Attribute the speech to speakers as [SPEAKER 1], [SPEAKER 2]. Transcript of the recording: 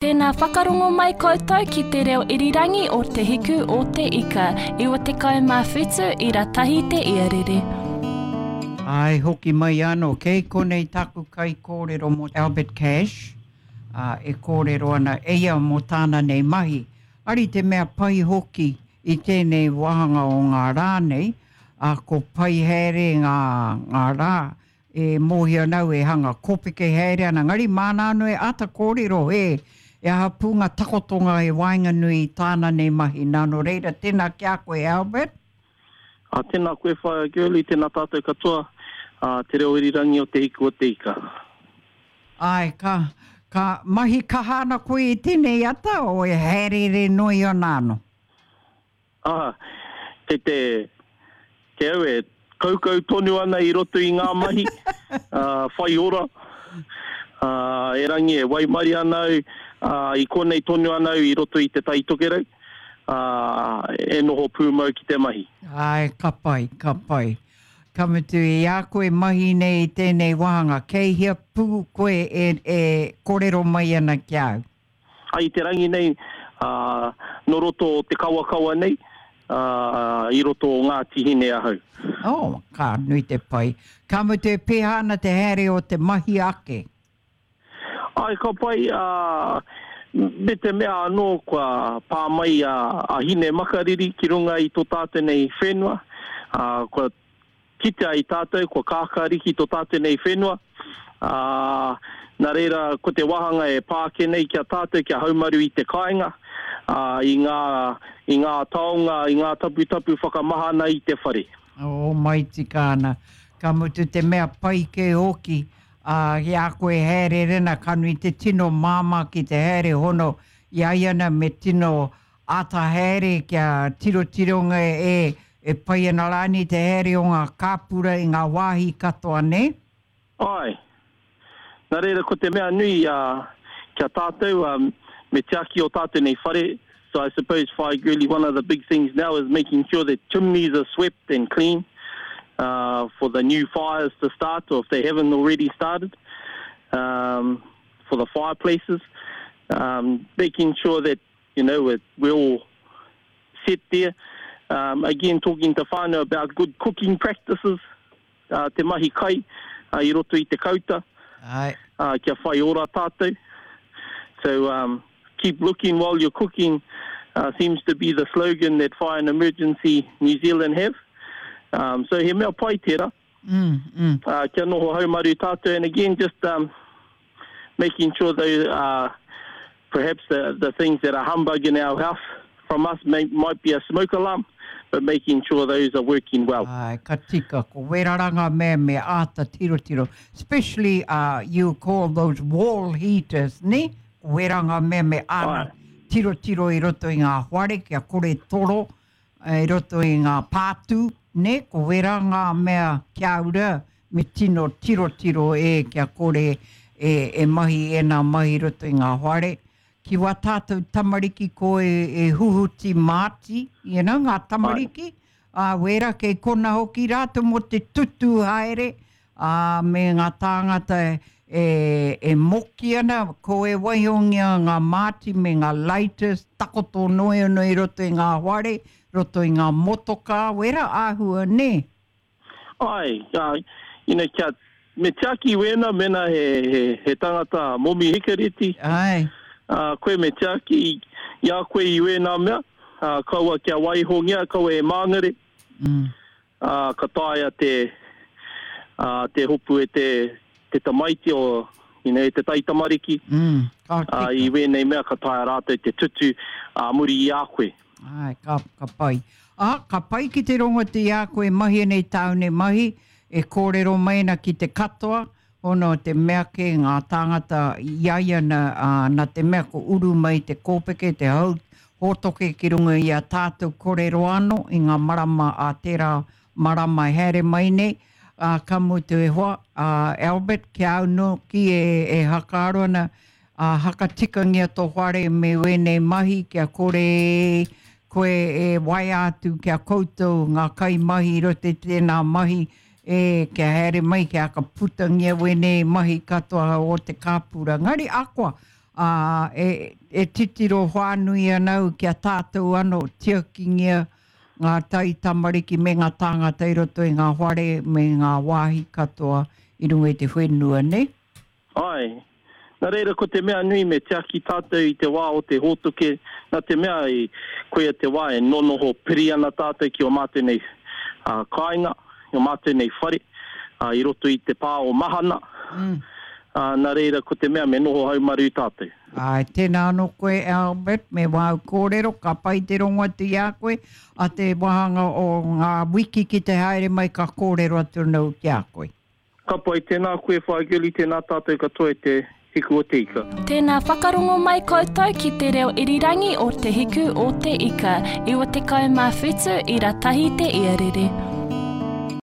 [SPEAKER 1] Tēnā whakarongo mai koutou ki te reo irirangi o Te Hiku o Te Ika, 97 ira tahi te iarere.
[SPEAKER 2] Āe, hoki mai anō. Kei konei taku kaikōrero mō Albert Cash, ā, e kōrero ana e ia mō tāna nei mahi. Ari te mea pai hoki i tēnei wāhanga o ngā rā nei, ā, ko pai haere ngā, ngā rā, E mōhio ana au e hanga kōpeke haere ana, engari māna anō e āta kōrero he e aha pū ngā takotonga i waenganui i tāna nei mahi. Nā, nō reira, tēnā ki a koe, Albert.
[SPEAKER 3] Ā, tēnā koe, Whaea Girlie, tēnā tātou katoa, ā, te reo irirangi o Te Hiku o Te Ika.
[SPEAKER 2] Āe, ka, ka mahi kaha ana koe i tēnei ata, o e hāereere noi ana anō?
[SPEAKER 3] Ā, kei te, kei au e kaukau tonu ana i roto i ngā mahi, ā, whai ora, ā, erangi e waimarie ana au, ā, i konei tonu ana au i roto i Te Tai Tokerau, ā, e noho pūmau ki te mahi.
[SPEAKER 2] Āe, ka pai, ka pai. Ka mutu, i a koe mahi nei i tēnei wāhanga, kei hea pū koe e, e kōrero mai ana ki a au?
[SPEAKER 3] I te rangi nei, ā, nō roto o te kawakawa nei, ā, i roto o Ngāti Hine ahau.
[SPEAKER 2] Oh, ka nui te pai. Ka mutu e pēhea ana te haere o te mahi ake?
[SPEAKER 3] Āe, ka pai, ā, me te mea anō kua pā mai a, a Hine Makariri ki runga i tō tātou nei whenua, ā, kua Kitea i tātou kua kākāriki tō tātou nei whenua, ā, nā reira ko te wāhanga e pā ake nei ki a tātou kia haumaru i te kāinga, ā, i ngā, i ngā taonga, i ngā taputapu whakamahana i te whare.
[SPEAKER 2] Oh, mai tika ana. Ka mutu te mea pai kē hoki, ā, i a koe haereere ana, ka nui te tino māmā ki te haere hono i a ia ana me tino Āta haere kia tirotironga e e pai ana rānei te haere o ngā kāpura i ngā wāhi katoa, nē?
[SPEAKER 3] Āe. Nā reira ko te mea nui kia tātou me tiaki o tātou nei whare, so I suppose Whai Girlie one of the big things now is making sure that chimneys are swept and clean for the new fires to start or if they haven't already started um, for the fireplaces, um, making sure that You know, we're, we're all set there. Um, again, talking to whānau about good cooking practices, uh, te mahi kai uh, i roto i te kauta,
[SPEAKER 2] Ai.
[SPEAKER 3] Uh, kia whai ora tātou. So, um, keep looking while you're cooking uh, seems to be the slogan that Fire and Emergency New Zealand have. Um, so he mea pai tērā.
[SPEAKER 2] Mm, mm.
[SPEAKER 3] Uh, kia noho haumaru tātou. And again, just um, making sure they uh, perhaps the, the things that are humbug in our house from us may, might be a smoke alarm, but making sure those are working well.
[SPEAKER 2] Ai, ka tika, ko wera ranga mea me āta tirotiro. Especially uh, you call those wall heaters, ne? Ko wera ngā mea me āta tirotiro i roto i ngā whare kia kore toro i roto i ngā pātū, nē, ko wērā ngā mea kia ura me tino tirotiro e kia kore e, e mahi ēnā mahi i roto i ngā whare. Ki wā tātou tamariki ko e, e huhuti māti, you know, ngā tamariki, ā, wērā kei kona hoki rātou mō te tutū haere, ā, me ngā tāngata e, e moki ana, ko e waihongia ngā māti me ngā lighters, takoto noeono i roto i ngā whare, roto i ngā motokā, wera āhua, nē?
[SPEAKER 3] Āe, ā, you know, kia, me tiaki wēnā mēnā he, he, he tangata momi hikareti,
[SPEAKER 2] Āe.
[SPEAKER 3] ā, koe me tiaki i a koe i wēnā mea, ā, kaua kia waihongia, kaua e māngere.
[SPEAKER 2] Mm.
[SPEAKER 3] Ā, ka taea te, ā, te hopu e te, te tamaiti o, you know, e te taitamariki.
[SPEAKER 2] Mm, ka tika.
[SPEAKER 3] Ā, i wēnei mea ka taea rātou te tutu ā muri i a koe.
[SPEAKER 2] Āe, ka, ka pai. Ā, ka pai ki te rongo atu i a koe e mahi ana i tāu nei mahi, e kōrero mai ana ki te katoa, Ona o te mea kē ngā tāngata i a ia na, ā, nā te mea ko uru mai te kōpeke, te hau hōtoke ki runga i a tātou korero anō i ngā marama ā tērā marama e haere mai nei, ā, ka mutu e hoa, ā, Albert, ki a au nōki e, e hakaaro ana, ā, hakatikangia tō whare me wēnei mahi kia kore koe e waea atu ki a koutou ngā kaimahi i roto i tēnā mahi, E, kia haere mai, kia whakaputangia wēnei mahi katoa o te kāpura. Engari akoa, Ā, e, e titiro whānui ana au ki a tātou anō, tiakingia ngā taitamariki me ngā tāngata i roto i ngā whare me ngā wāhi katoa i runga i te whenua, nē?
[SPEAKER 3] Āe. Nā reira, ko te mea nui me tiaki tātou i te wā o te hōtoke, nā te mea i, koia te wā e nonoho piri ana tātou ki ō mātou nei kāinga, i ō mātou nei whare, i roto i te pā o Mahana. Ā, nā reira, ko te mea me noho haumaru tātou.
[SPEAKER 2] Āe, tēnā anō koe Albert, me wāu kōrero, ka pai te rongo atu i a koe, a te wāhanga o ngā wiki ki te haere mai ka kōrero atu anō ki a koe.
[SPEAKER 3] Ka pai, tēnā koe Whaea Girlie, tēnā tātou katoa e te Hiku o te Ika.
[SPEAKER 1] Tēnā whakarongo mai koutou ki te reo irirangi o Te Hiku o te Ika, 97 ira tahi te iarere.